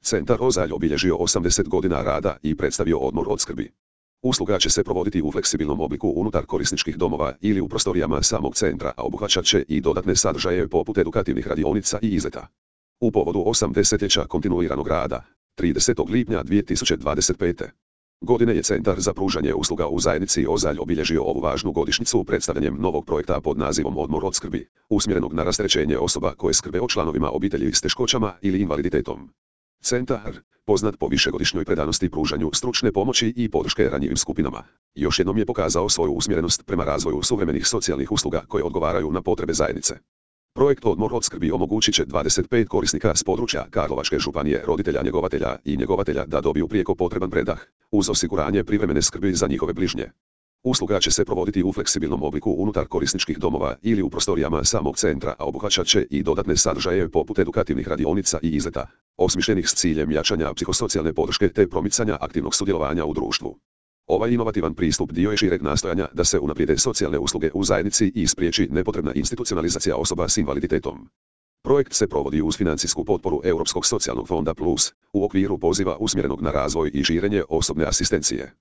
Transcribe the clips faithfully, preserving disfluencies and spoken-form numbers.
Centar Ozalj obilježio osamdeset godina rada i predstavio odmor od skrbi. Usluga će se provoditi u fleksibilnom obliku unutar korisničkih domova ili u prostorijama samog centra, a obuhvaćat će i dodatne sadržaje poput edukativnih radionica i izleta. U povodu osamdesetljeća kontinuiranog rada, tridesetog lipnja dvije tisuće dvadeset pete. godine je Centar za pružanje usluga u zajednici Ozalj obilježio ovu važnu godišnjicu predstavljanjem novog projekta pod nazivom Odmor od skrbi, usmjerenog na rasterećenje osoba koje skrbe o članovima obitelji s teškoćama ili invaliditetom. Centar, poznat po višegodišnjoj predanosti pružanju stručne pomoći i podrške ranjivim skupinama, još jednom je pokazao svoju usmjerenost prema razvoju suvremenih socijalnih usluga koje odgovaraju na potrebe zajednice. Projekt Odmor od skrbi omogućit će dvadeset pet korisnika s područja Karlovačke županije, roditelja njegovatelja i njegovatelja da dobiju prijeko potreban predah, uz osiguranje privremene skrbi za njihove bližnje. Usluga će se provoditi u fleksibilnom obliku unutar korisničkih domova ili u prostorijama samog centra, a obuhvaćat će i dodatne sadržaje poput edukativnih radionica i izleta, osmišljenih s ciljem jačanja psihosocijalne podrške te promicanja aktivnog sudjelovanja u društvu. Ovaj inovativan pristup dio je šireg nastojanja da se unaprijede socijalne usluge u zajednici i spriječi nepotrebna institucionalizacija osoba s invaliditetom. Projekt se provodi uz financijsku potporu Europskog socijalnog fonda Plus, u okviru poziva usmjerenog na razvoj i širenje osobne asistencije.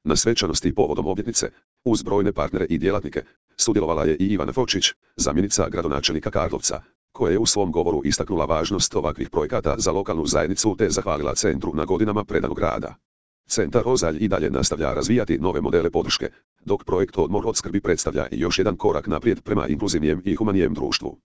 Na svečanosti povodom obljetnice, uz brojne partnere i djelatnike, sudjelovala je i Ivana Fočić, zamjenica gradonačelnika Karlovca, koja je u svom govoru istaknula važnost ovakvih projekata za lokalnu zajednicu te zahvalila centru na godinama predanog rada. Centar Ozalj i dalje nastavlja razvijati nove modele podrške, dok projekt Odmor od skrbi predstavlja još jedan korak naprijed prema inkluzivnijem i humanijem društvu.